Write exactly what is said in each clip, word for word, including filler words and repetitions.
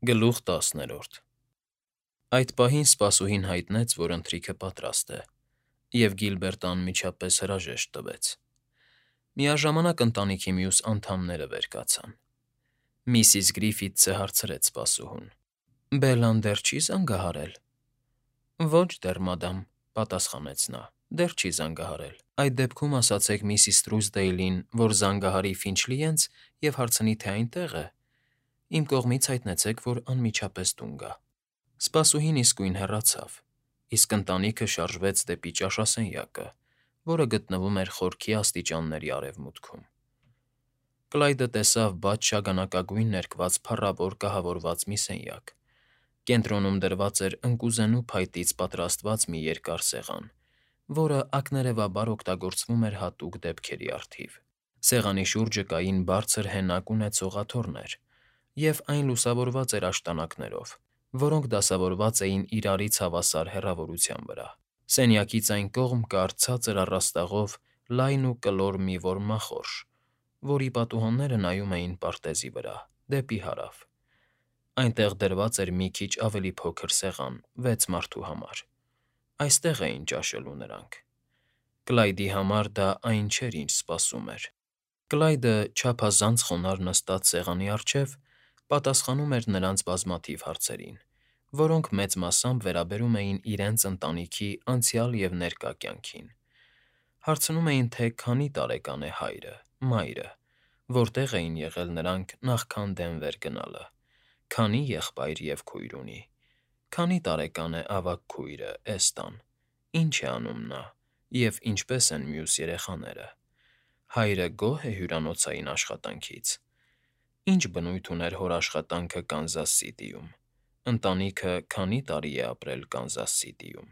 Գլուխ տասներորդ Այդ պահին սպասուհին հայտնեց, որ ընթրիքը պատրաստ է, և Գիլբերտը անմիջապես հրաժեշտ տվեց։ Միաժամանակ ընտանիքի մյուս անդամները վեր կացան։ Միսիս Գրիֆիթսը հարցրեց սպասուհուն. «Բելլան դեռ չի՞ զանգահարել»։ «Ոչ դեռ, մադամ,֊ պատասխանեց նա,֊ դեռ չի զանգահարել»։ «Այդ դեպքում ասացեք միսիս Թրուսդեյլին, որ զանգահարի Ֆինչլիենց և հարցնի, թե այնտեղ է։ Իմ կողմից հայտնեցեք, որ անմիջապես տուն գա»։ Սպասուհին իսկույն հեռացավ, իսկ ընտանիքը շարժվեց դեպի ճաշասենյակը, որը գտնվում էր խորքի աստիճանների արևմուտքում։ Կլայդը տեսավ բաց շագանակագույն ներկված փառավոր կահավորված մի սենյակ։ Կենտրոնում դրված էր ընկուզենու փայտից պատրաստված մի երկար սեղան, որը ակներևաբար օգտագործվում էր հատուկ դեպքերի առթիվ։ Սեղանի շուրջը կային բարձր հենակ ունեցող աթոռներ, և այն լուսավորված էր աշտանակներով, որոնք դասավորված էին իրարից հավասար հեռավորության վրա։ Սենյակից այն կողմ կար ցածր առաստաղով լայն ու կլոր մի որմնախորշ, որի պատուհանները նայում էին պարտեզի վրա, դեպի հարավ։ Այնտեղ դրված էր մի քիչ ավելի փոքր սեղան վեց մարդու համար։ Այստեղ էին ճաշելու նրանք։ Կլայդի համար դա այն չէր, ինչ սպասում էր։ Կլայդը, չափազանց խոնարհ նստած սեղանի առջև, պատասխանում էր նրանց բազմաթիվ հարցերին, որոնք մեծ մասամբ վերաբերում էին իրենց ընտանիքի անցյալ և ներկա կյանքին։ Հարցնում էին, թե քանի տարեկան է հայրը, մայրը, որտեղ էին եղել նրանք նախքան Դենվեր գնալը, քանի եղբայր և քույր ունի, քանի տարեկան է ավագ քույրը՝ Էստան, ինչ է անում նա և ինչպե՞ս են մյուս երեխաները, հայրը գոհ է հյուրանոցային աշխատանքից, ինչ բնույթ ուներ հոր աշխատանքը Կանզաս Սիթիում, ընտանիքը քանի տարի է ապրել Կանզաս Սիթիում։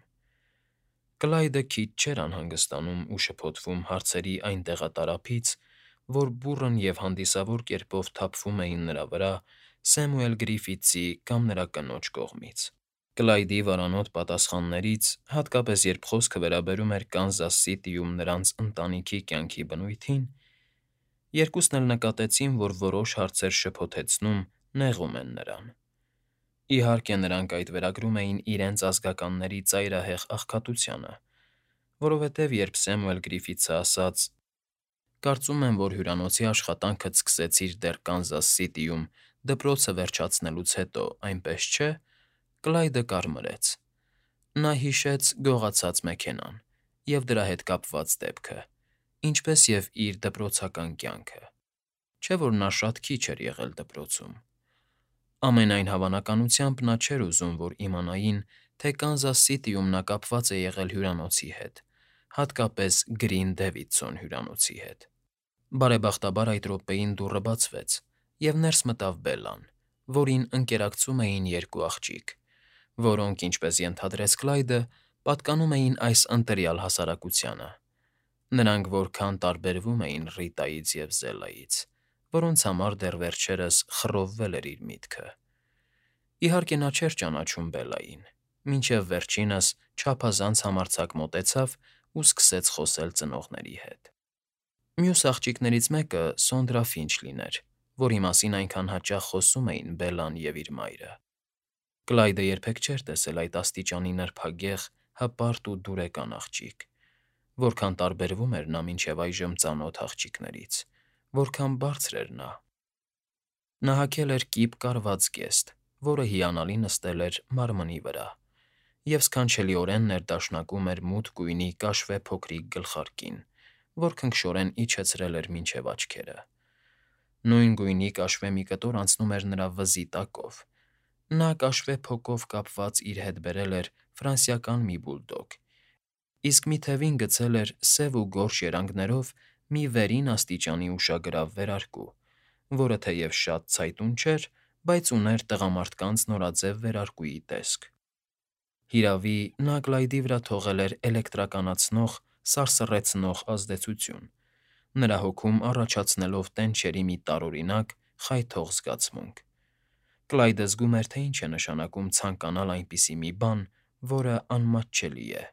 Կլայդը քիչ չէր անհանգստանում ու շփոթվում հարցերի այն տեղատարափից, որ բուռն և հանդիսավոր կերպով թափվում էին նրա վրա Սեմուել Գրիֆիթսի կամ նրա կնոջ կողմից։ Կլայդի վարանոտ պատասխաններից, հատկապես երբ խոսքը վերաբերում էր Կանզաս Սիթիում նրանց ընտանիքի կյանքի բնույթին, երկուսն էլ նկատեցին, որ որոշ հարցեր շփոթեցնում, նեղում են նրան։ Իհարկե, նրանք այդ վերագրում էին իրենց ազգականների ծայրահեղ աղքատությանը, որովհետև երբ Սեմուել Գրիֆիթսը ասաց. «Կարծում եմ, որ հյուրանոցի աշխատանքդ սկսեցիր դեռ Կանզաս Սիթիում դպրոցը վերջացնելուց հետո, այնպես չէ՞», Կլայդը կարմրեց։ Նա հիշեց գողացած մեքենան և դրա հետ կապված դեպքը, ինչպես և իր դպրոցական կյանքը, չէ՞ որ նա շատ քիչ էր եղել դպրոցում։ Ամենայն հավանականությամբ նա չէր ուզում, որ իմանային, թե Կանզաս Սիթիում նա կապված է եղել հյուրանոցի հետ, հատկապես Գրին Դեվիդսոն հյուրանոցի հետ։ Բարեբախտաբար այդ րոպեին դուռը բացվեց, և ներս մտավ Բելլան, որին ընկերակցում էին երկու աղջիկ, որոնք, ինչպես ենթադրեց Կլայդը, պատկանում էին այս ընտյալ հասարակությանը։ Նրանք որքան տարբերվում էին Ռիտայից և Զելայից, որոնց համար դեռ վերջերս խռովվել էր իր միտքը։ Իհարկե, նա չէր ճանաչում Բելլային, մինչև վերջինս չափազանց համարձակ մոտեցավ ու սկսեց խոսել ծնողների հետ։ Մյուս աղջիկներից մեկը Սոնդրա Ֆինչլին էր, որի մասին այնքան հաճախ խոսում էին Բելլան և իր մայրը։ Կլայդը երբեք չէր տեսել այդ աստիճանի նրբագեղ, հպարտ ու դուրեկան աղջիկ։ Որքան տարբերվում էր նա մինչև այժմ ծանոթ աղջիկներից, որքան բարձր էր նա։ Նա հագել էր կիպ կարված գեստ, որը հիանալի նստել էր մարմնի վրա, և սքանչելիորեն ներդաշնակում էր մութ գույնի կաշվե փոքրիկ գլխարկին, որ քնքշորեն իջեցրել էր մինչև աչքերը։ Նույն գույնի կաշվե մի կտոր անցնում էր նրա վզի տակով։ Նա կաշվե փոկով կապված իր հետ բերել էր ֆրանսիական մի բուլդոգ, իսկ մի թևին գցել էր սև ու գորշ երանգներով մի վերին աստիճանի ուշագրավ վերարկու, որը թեև շատ ցայտուն չէր, բայց ուներ տղամարդկանց նորաձև վերարկուի տեսք։ Հիրավի, նա Կլայդի վրա թողել էր էլեկտրականացնող, սարսռեցնող ազդեցություն, նրա հոգում առաջացնելով տենչերի մի տարօրինակ, խայթող զգացմունք։ Կլայդը զգում էր, թե ինչ է նշանակում ցանկանալ այնպիսի մի բան, որը անմատչելի է,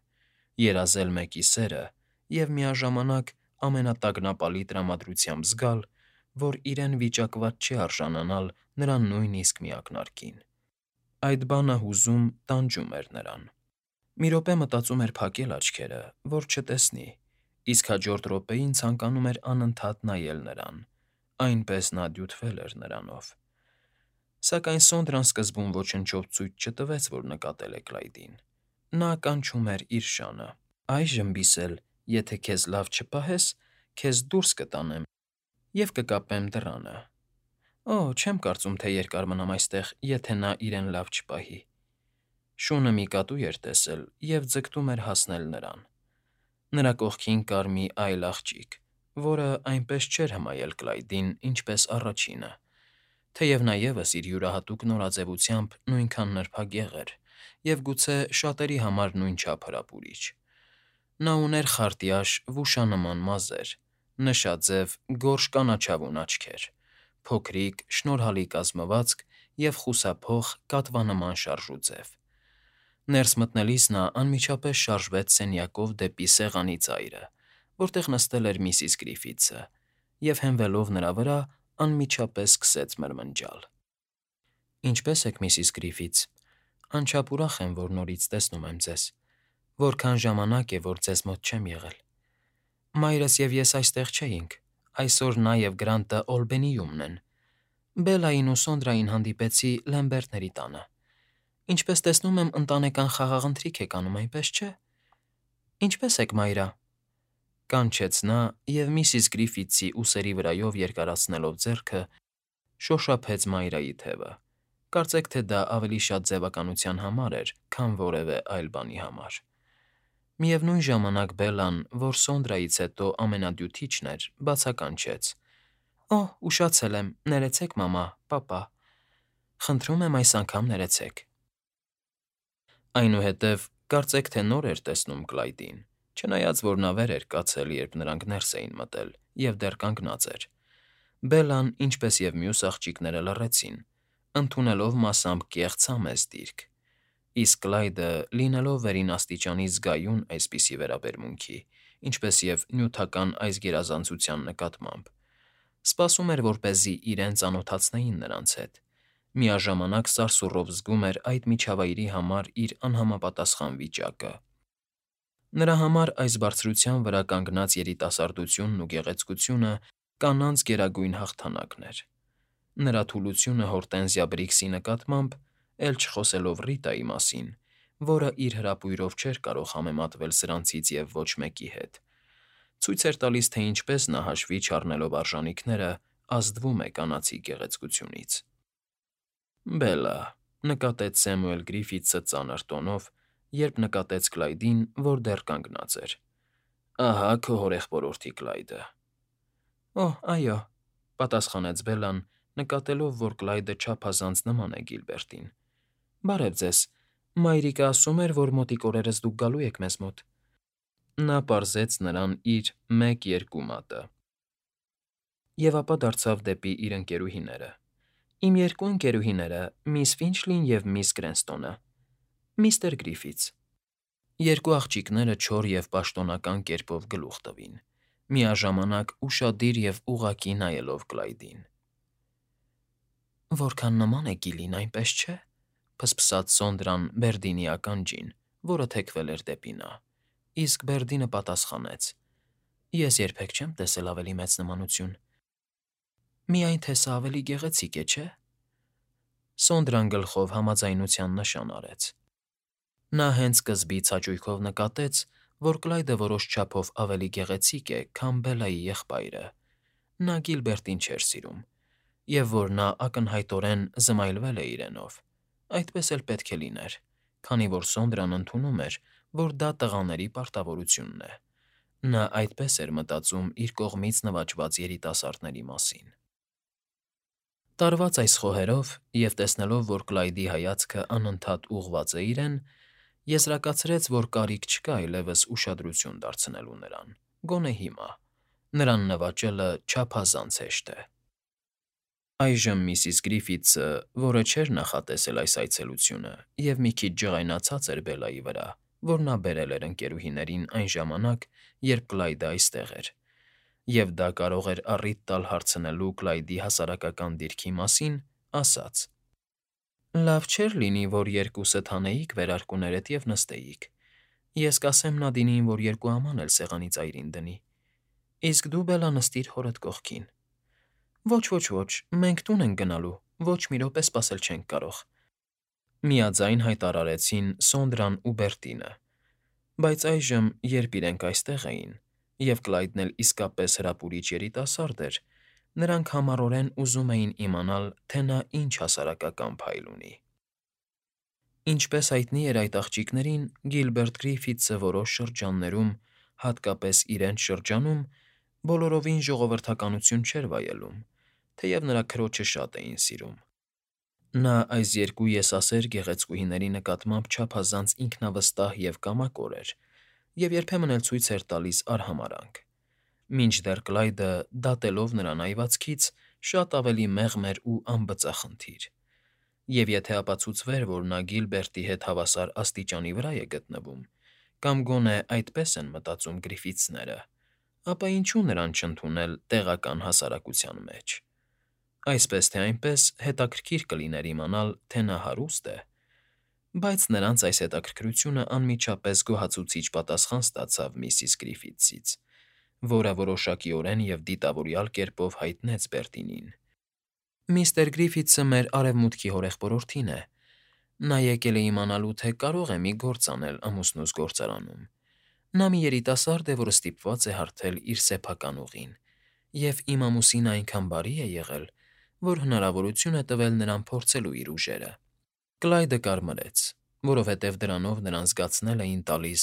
երազել մեկի սերը և միաժամանակ ամենատագնապալի տրամադրությամբ զգալ, որ իրեն վիճակված չէ արժանանալ նրա նույնիսկ մի ակնարկին, Այդ բանը հուզում, տանջում էր նրան։ Մի րոպե մտածում էր փակել աչքերը, որ չտեսնի, իսկ հաջորդ րոպեին ցանկանում էր անընդհատ նայել նրան, այնպես նա դյութվել էր նրանով։ Սակայն Սոնդրան սկզբում ոչնչով ցույց չտվեց, որ նկատել է Կլայդին։ Նա կանչում էր իր շանը։ «Այժմ, Բիսել, եթե քեզ լավ չպահես, քեզ դուրս կտանեմ և կկապեմ դռանը։ Օ, չեմ կարծում, թե երկար մնամ այստեղ, եթե նա իրեն լավ չպահի»։ Շունը մի կատու էր տեսել և ձգտում էր հասնել նրան։ Նրա կողքին կար մի այլ աղջիկ, որը այնպես չէր հմայել Կլայդին, ինչպես առաջինը, թեև նա ևս իր յուրահատուկ նորաձևությամբ նույնքան նրբագեղ էր և գուցե շատերի համար նույնչափ հրապուրիչ։ Նա ուներ խարտյաշ, վուշանման մազեր, նշաձև, գորշ կանաչավուն աչքեր, փոքրիկ, շնորհալի կազմվածք և խուսափող, կատվանման շարժուձև։ Ներս մտնելիս նա անմիջապես շարժվեց սենյակով դեպի սեղանի ծայրը, որտեղ նստել էր միսիս Գրիֆիթսը, և հենվելով նրա վրա, անմիջապես սկսեց մրմնջալ. «Ինչպե՞ս եք, միսիս Գրիֆիթս, անչափ ուրախ եմ, որ նորից տեսնում եմ ձեզ։ Որքան ժամանակ է, որ ձեզ մոտ չեմ եղել։ Մայրս և ես այստեղ չէինք, այսօր նա և Գրանտը Օլբենիումն են։ Բելլային ու Սոնդրային հանդիպեցի Լեմբերտների տանը։ Ինչպես տեսնում եմ, ընտանեկան խաղաղընթրիք եք անում, այնպես չէ՞։ Ինչպե՞ս եք, Մայրա», կանչեց նա և միսիս Գրիֆիթսի ուսերի վրայով երկարացնելով ձեռքը, շոշափեց Մայրայի թևը, կարծեք թե դա ավելի շատ ձևականության համար էր, քան որևէ այլ բանի համար։ Միևնույն ժամանակ Բելլան, որ Սոնդրայից հետո ամենադյութիչն էր, բացականչեց. «Օ, ուշացել եմ, ներեցեք, մամա, պապա։ Խնդրում եմ այս անգամ ներեցեք»։ Այնուհետև կարծեք թե նոր էր տեսնում Կլայդին, չնայած որ նա վեր էր կացել, երբ նրանք ներս էին մտել, և դեռ կանգնած էր։ Բելլան, ինչպես և մյուս աղջիկները, լռեցին, ընդունելով մասամբ կեղծ համեստ դիրք, իսկ Կլայդը, լինելով վերին աստիճանի զգայուն այսպիսի վերաբերմունքի, ինչպես և նյութական այս գերազանցության նկատմամբ, սպասում էր, որպեսզի իրեն ծանոթացնեին նրանց հետ, միաժամանակ սարսուռով զգում էր այդ միջավայրի համար իր անհամապատասխան վիճակը։ Նրա համար այս բարձրության վրա կանգնած երիտասարդությունն ու գեղեցկությունը կանանց գերագույն հաղթանակն էր։ Նրա թուլությունը Հորտենզիա Բրիքսի նկատմամբ, էլ չխոսելով Ռիտայի մասին, որը իր հրապույրով չէր կարող համեմատվել սրանցից և ոչ մեկի հետ, ցույց էր տալիս, թե ինչպես նա, հաշվի չառնելով արժանիքները, ազդվում է կանացի գեղեցկությունից։ «Բելլա», նկատեց Սեմուել Գրիֆիթսը ծանր տոնով, երբ նկատեց Կլայդին, որ դեռ կանգնած էր, «ահա քո հորեղբորորդի Կլայդը»։ «Օ, այո», պատասխանեց Բելլան, նկատելով, որ Կլայդը չափազանց նման է Գիլբերտին։ «Բարև ձեզ, մայրիկը ասում էր, որ մոտիկ օրերս դուք գալու եք մեզ մոտ»։ Նա պարզեց նրան իր մեկ֊երկու մատը և ապա դարձավ դեպի իր ընկերուհիները. «Իմ երկու ընկերուհիները՝ միս Ֆինչլին և միս Կրենստոնը, միստր Գրիֆիթս»։ Երկու աղջիկները չոր և պաշտոնական կերպով գլուխ տվին, միաժամանակ ուշադիր և ուղղակի նայելով Կլայդին։ «Որքան նման է Գիլին, այնպես չէ՞», ֆսֆսաց Սոնդրան Բերդինի ականջին, որը թեքվել էր դեպի նա, իսկ Բերդինը պատասխանեց. «Ես երբեք չեմ տեսել ավելի մեծ նմանություն։ Միայն թե սա ավելի գեղեցիկ է, չէ՞»։ Սոնդրան գլխով համաձայնության նշան արեց։ Նա հենց սկզբից հաճույքով նկատեց, որ Կլայդը որոշ չափով ավելի գեղեցիկ է, քան Բելլայի եղբայրը, նա Գիլբերտին չէր սիրում, և որ նա ակնհայտորեն զմայլվել է իրենով, այդպես էլ պետք է լիներ, քանի որ Սոնդրան ընդունում էր, որ դա տղաների պարտավորությունն է։ Նա այդպես էր մտածում իր կողմից նվաճված երիտասարդների մասին։ Տարված այս խոհերով և տեսնելով, որ Կլայդի հայացքը անընդհատ ուղղված է իրեն, եզրակացրեց, որ կարիք չկա այլևս ուշադրություն դարձնելու նրան, գոնե հիմա, նրան նվաճելը չափազանց հեշտ է։ Այժմ միսիս Գրիֆիթսը, որը չէր նախատեսել այս այցելությունը և մի քիչ ջղայնացած էր Բելլայի վրա, որ նա բերել էր ընկերուհիներին այն ժամանակ, երբ Կլայդը այստեղ էր, և դա կարող էր առիթ տալ հարցնելու Կլայդի հասարակական դիրքի մասին, ասաց. Լավ չէր լինի, որ երկուսդ հանեիք վերարկուներդ և նստեիք. ես կասեմ Նադինին, որ երկու աման էլ սեղանի ծայրին դնի, իսկ դու, Բելլա, նստիր հորդ կողքին։ Ոչ, ոչ, ոչ, մենք տուն ենք գնալու, ոչ մի րոպե սպասել չենք կարող, միաձայն հայտարարեցին Սոնդրան ու Բերտինը, բայց այժմ, երբ իրենք այստեղ էին, և Կլայդն էլ իսկապես հրապուրիչ երիտասարդ էր, նրանք համառորեն ուզում էին իմանալ, թե նա ինչ հասարակական փայլ ունի։ Ինչպես հայտնի էր այդ աղջիկներին, Գիլբերտ Գրիֆիթսը որոշ շրջաններում, հատկապես իրենց շրջանում, բոլորովին ժողովրդականություն չէր վայելում, թեև նրա քրոջը շատ էին սիրում։ Նա այս երկու եսասեր գեղեցկուհիների նկատմամբ չափազանց ինքնավստահ և կամակոր էր և երբեմն էլ ցույց էր տալիս արհամարհանք, մինչդեռ Կլայդը, դատելով նրան այվածքից, շատ ավելի մեղմ էր ու անբծախնդիր, և եթե ապացուցվեր, որ նա Գիլբերտի հետ հավասար աստիճանի վրա է գտնվում, կամ գոնե այդպես են մտածում Գրիֆիթսները, ապա ինչու նրան չընդունել տեղական հասարակության մեջ։ Այսպես թե այնպես, հետաքրքիր կլիներ իմանալ, թե նա հարուստ է, բայց նրանց այս հետաքրքրությունը անմիջապես գոհացուցիչ պատասխան ստացավ միսիս Գրիֆիթսից, որը որոշակիորեն և դիտավորյալ կերպով հայտնեց Բերտինին. «Միստր Գրիֆիթսը մեր արևմուտքի հորեղբորորդին է. նա եկել է իմանալու, թե կարող է մի գործ անել ամուսնուս գործարանում։ Նա մի երիտասարդ է, որը ստիպված է հարթել իր սեփական ուղին, և իմ ամուսինը այնքան բարի է եղել, որ հնարավորություն է տվել նրան փորձելու իր ուժերը»։ Կլայդը կարմրեց, որովհետև դրանով նրան զգացնել էին տալիս,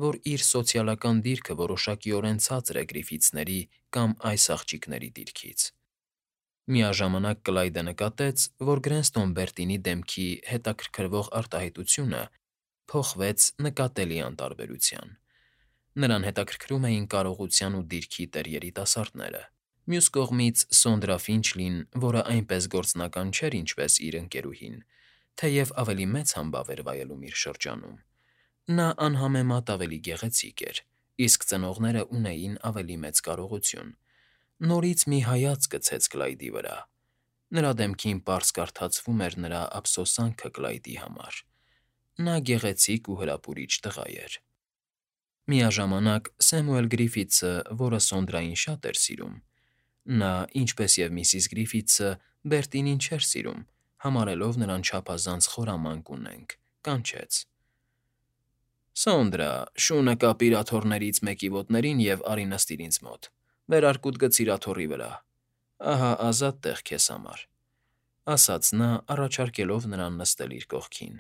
որ իր սոցիալական դիրքը որոշակիորեն ցածր է Գրիֆիթսների կամ այս աղջիկների դիրքից։ Միաժամանակ Կլայդը նկատեց, որ Գրենստոն Բերտինի դեմքի հետաքրքրվող արտահայտությունը փոխվեց նկատելի անտարբերության։ Նրան հետաքրքրում էին կարողության ու դիրքի տեր֊երիտասարդները։ Մյուս կողմից Սոնդրա Ֆինչլին, որը այնպես գործնական չէր, ինչպես իր ընկերուհին, թեև ավելի մեծ համբավ էր վայելում իր շրջանում, նա անհամեմատ ավելի գեղեցիկ էր, իսկ ծնողները ունեին ավելի մեծ կարողություն, նորից մի հայացք գցեց Կլայդի վրա։ Նրա դեմքին պարզ կարդացվում էր նրա ափսոսանքը Կլայդի համար։ Նա գեղեցիկ ու հրապուրիչ տղա էր։ Միաժամանակ Սեմուել Գրիֆիթսը, որը Սոնդրային շատ էր սիրում, նա, ինչպես և միսիս Գրիֆիթսը, Բերտինին չէր սիրում, համարելով նրան չափազանց խորամանկ ու նենգ, կանչեց. «Սոնդրա, շունը կապիր աթոռներից մեկի ոտներին և արի նստիր ինձ մոտ, վերարկուդ գցիր աթոռի վրա, ահա ազատ տեղ քեզ համար», ասաց նա, առաջարկելով նրան նստել իր կողքին։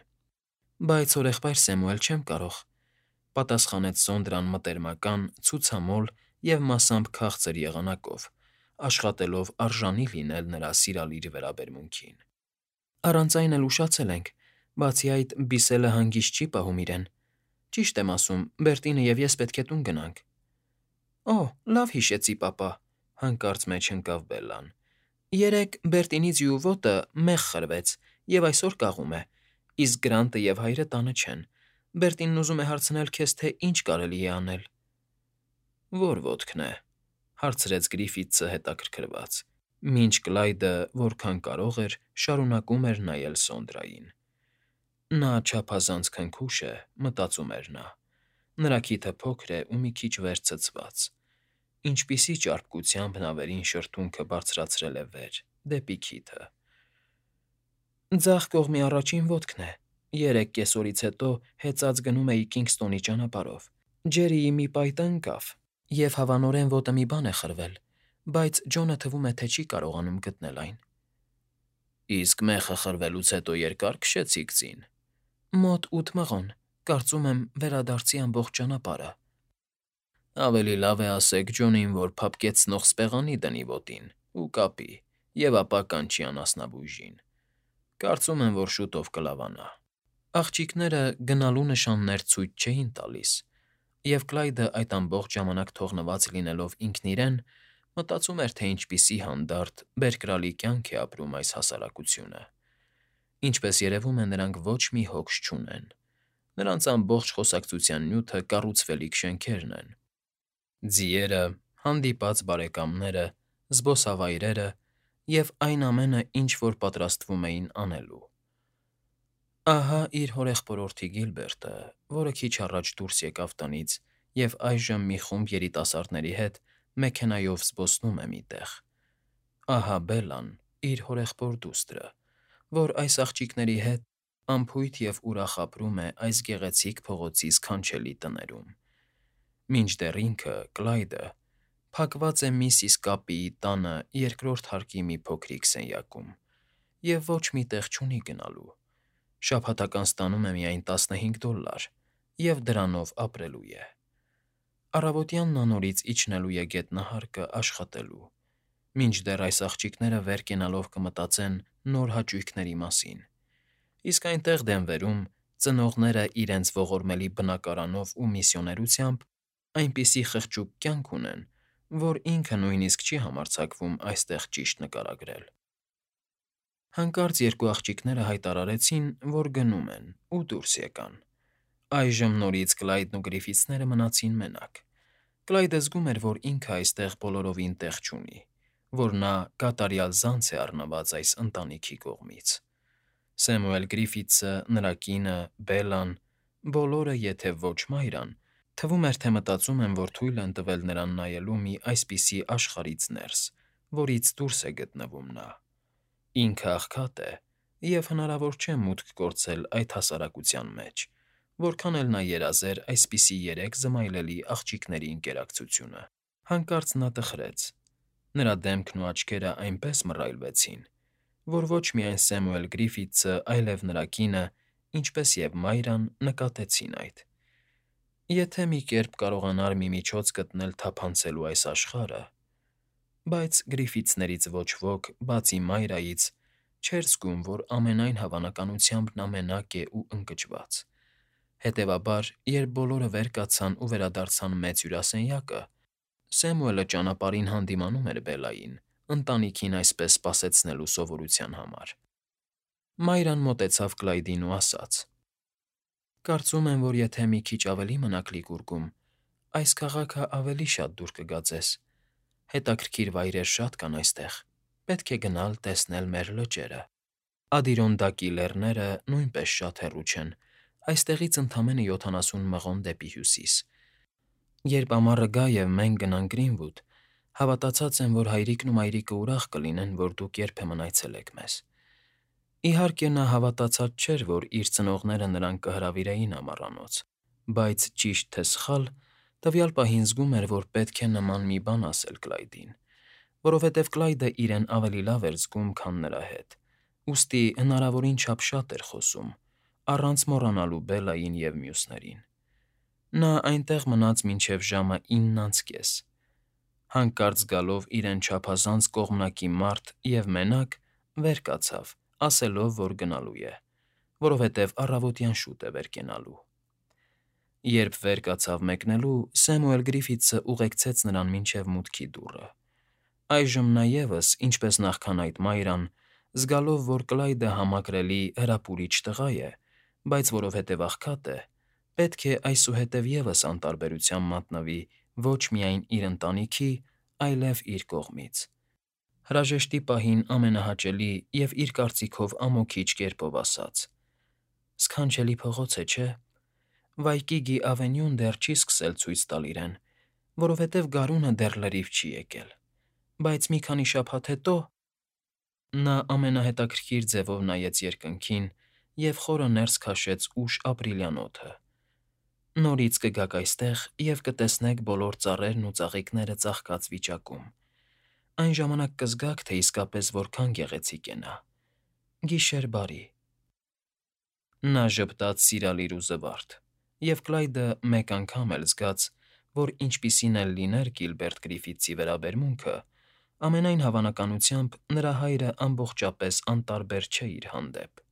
«Բայց, հորեղբայր Սեմուել, չեմ կարող», պատասխանեց Սոնդրան մտերմական, ցուցամոլ և մասամբ քաղցր եղանակով, աշխատելով արժանի լինել նրա սիրալիր վերաբերմունքին։ «Առանց այն էլ ուշացել ենք, բացի այդ, բիսելը հանգիստ չի պահում իրեն։ Ճիշտ եմ ասում, Բերտինը և ես պետք է տուն գնանք»։ «Օ՜, լավ հիշեցի, պապա», հանկարծ մեջ ընկավ Բելլան։ «Երեկ Բերտինի ձիու ոտը մեղ խրվեց և այսօր կաղում է, իսկ Գրանտը և հայրը տանը չեն։ Բերտինն ուզում է հարցնել քեզ, թե ինչ կարելի է անել»։ «Ո՞ր ոտքն է», հարցրեց Գրիֆիթսը հետաքրքրված, մինչ Կլայդը, որքան կարող էր, շարունակում էր նայել Սոնդրային։ «Նա չափազանց քնքուշ է», մտածում էր նա, «նրա քիթը փոքր է ու մի քիչ վերցցված։ Ինչպիսի ճարպկությամբ նա վերին շրթունքը բարձրացրել է վեր, դեպի քիթը»։ «Ձախ կողմի առաջին ոտքն է։ Երեկ կեսօրից հետո հեծած գնում էի Քինգսթոնի ճանապարհով։ Ջերրիի մի պայտը ընկավ, և հավանորեն ոտը մի բան է խրվել, բայց Ջոնը թվում է, թե չի կարողանում գտնել այն»։ «Իսկ մեխը խրվելուց հետո երկա՞ր քշեցիք ձին»։ «Մոտ ութ մղոն, կարծում եմ, վերադարձի ամբողջ ճանապարհը»։ «Ավելի լավ է ասեք Ջոնին, որ փափկեցնող սպեղանի դնի ոտին ու կապի, և ապա կանչի անասնաբույժին։ Կարծում եմ, որ շուտով կլավանա»։ Աղջիկները գնալու նշաններ ցույց չէին տալիս, և Կլայդը այդ ամբողջ ժամանակ թողնված լինելով ինքն իրեն, մտածում էր, թե ինչպիսի հանդարտ, բերկրալի կյանք է ապրում այս հասարակությունը։ Ինչպես երևում է, նրանք ոչ մի հոգս չունեն։ Նրանց ամբողջ խոսակցության նյութը կառուցվելիք շենքերն են։ Ձիերը, հանդիպած բարեկամները, զբոսավայրերը և այն ամենը, ինչ որ պատրաստվում էին անելու։ Ահա իր հորեղբորորդի Գիլբերտը, որը քիչ առաջ դուրս եկավ տնից և այժմ մի խումբ երիտասարդների հետ մեքենայով զբոսնում է մի տեղ. ահա Բելլան, իր հորեղբոր դուստրը, որ այս աղջիկների հետ անփույթ և ուրախ ապրում է այս գեղեցիկ փողոցի սքանչելի տներում, մինչդեռ ինքը՝ Կլայդը, փակված է միսիս Կապիի տանը երկրորդ հարկի մի փոքրիկ սենյակում և ոչ մի տեղ չունի գնալու, շաբաթական ստանում է միայն տասնհինգ դոլար և դրանով ապրելու է։ Առավոտյան նա նորից իջնելու է գետնահարկը աշխատելու, մինչդեռ այս աղջիկները վեր կենալով կմտածեն նոր հաճույքների մասին, իսկ այնտեղ Դենվերում ծնողները իրենց ողորմելի բնակարանով ու միսիոներությամբ այնպիսի խղճուկ կյանք ունեն, որ ինքը նույնիսկ չի համարձակվում այստեղ ճիշտ նկարագրել։ Հանկարծ երկու աղջիկները հայտարարեցին, որ գնում են, ու դուրս եկան։ Այժմ նորից Կլայդն ու Գրիֆիթսները մնացին մենակ։ Կլայդը զգում էր, որ ինքը այստեղ բոլորովին տեղ չունի, որ նա կատարյալ զանց է առնված այս ընտանիքի կողմից։ Սեմուել Գրիֆիթսը, նրա կինը, Բելլան, բոլորը, եթե ոչ Մայրան, թվում էր, թե մտածում են, որ թույլ են տվել նրան նայելու մի այսպիսի աշխարհից ներս, որից դուրս է գտնվում նա։ Ինքը աղքատ է, և հնարավոր չէ մուտք գործել այդ հասարակության մեջ, որքան էլ նա երազեր այսպիսի երեք զմայլելի աղջիկների ընկերակցությունը։ Հանկարծ նա տխրեց։ Նրա դեմքն ու աչքերը այնպես մռայլվեցին, որ ոչ միայն Սեմուել Գրիֆիթսը, այլև նրա կինը, ինչպես և Մայրան նկատեցին այդ։ Եթե մի կերպ կարողանար մի միջոց գտնել թափանցելու այս աշխարհը… Բայց Գրիֆիթսներից ոչ ոք, բացի Մայրայից, չէր զգում, որ ամենայն հավանականությամբ նա մենակ է ու ընկճված։ Հետևաբար, երբ բոլորը վեր կացան ու վերադարձան մեծ հյուրասենյակը, Սեմուելը ճանապարհին հանդիմանում էր Բելլային, ընտանիքին այսպես սպասեցնելու սովորության համար։ Մայրան մոտեցավ Կլայդին ու ասաց. «Կարծում եմ, որ եթե մի քիչ ավելի մնաք Լիկուրգում, այս քաղաքը ավելի շատ դուր կգա ձեզ։ Հետաքրքիր վայրեր շատ կան այստեղ, պետք է գնալ տեսնել մեր լճերը։ Ադիրոնդակի լեռները նույնպես շատ հեռու չեն, այստեղից ընդամենը յոթանասուն մղոն դեպի հյուսիս։ Երբ ամառը գա և մենք գնանք Գրինվուդ, հավատացած եմ, որ հայրիկն ու մայրիկը ուրախ կլինեն, որ դուք երբեմն այցելեք մեզ»։ Իհարկե, նա հավատացած չէր, որ իր ծնողները նրան կհրավիրեին ամառանոց, բայց, ճիշտ թե սխալ, տվյալ պահին զգում էր, որ պետք է նման մի բան ասել Կլայդին, որովհետև Կլայդը իրեն ավելի լավ էր զգում, քան նրա հետ, ուստի հնարավորին չափ շատ էր խոսում, առանց մոռանալու Բելլային և մյուսներին։ Նա այնտեղ մնաց մինչև ժամը ինն անց կես։ Հանկարծ զգալով իրեն չափազանց կողմնակի մարդ և մենակ, վեր կացավ, ասելով, որ գնալու է, որովհետև առավոտյան շուտ է վեր կենալու։ Երբ վեր կացավ մեկնելու, Սեմուել Գրիֆիթսը ուղեկցեց նրան մինչև մուտքի դուռը։ Այժմ նա ևս, ինչպես նախքան այդ Մայրան, զգալով, որ Կլայդը համակրելի, հրապուրիչ տղա է, բայց որովհետև աղքատ է, պետք է այսուհետև ևս անտարբերության մատնվի ոչ միայն իր ընտանիքի, այլև իր կողմից։ Հրաժեշտի պահին ամենահաճելի և իր կարծիքով ամոքիչ կերպով ասաց. «Սքանչելի փողոց է, չէ՞։ Վայկիգի Ավենյուն դեռ չի սկսել ցույց տալ իրեն, որովհետև գարունը դեռ լրիվ չի եկել, բայց մի քանի շաբաթ հետո…»։ Նա ամենահետաքրքիր ձևով նայեց երկնքին և խորը ներս քաշեց ուշ ապրիլյան օդը։ «Նորից կգաք այստեղ և կտեսնեք բոլոր ծառերն ու ծաղիկները ծաղկած վիճակում, այն ժամանակ կզգաք, թե իսկապես որքան գեղեցիկ է նա… Գիշեր բարի»։ Նա ժպտաց սիրալիր ու զվարթ, և Կլայդը մեկ անգամ էլ զգաց, որ ինչպիսին էլ լիներ Գիլբերտ Գրիֆիթսի վերաբերմունքը, ամենայն հավանականությամբ նրա հայրը ամբողջապես անտարբեր չէ իր հանդեպ։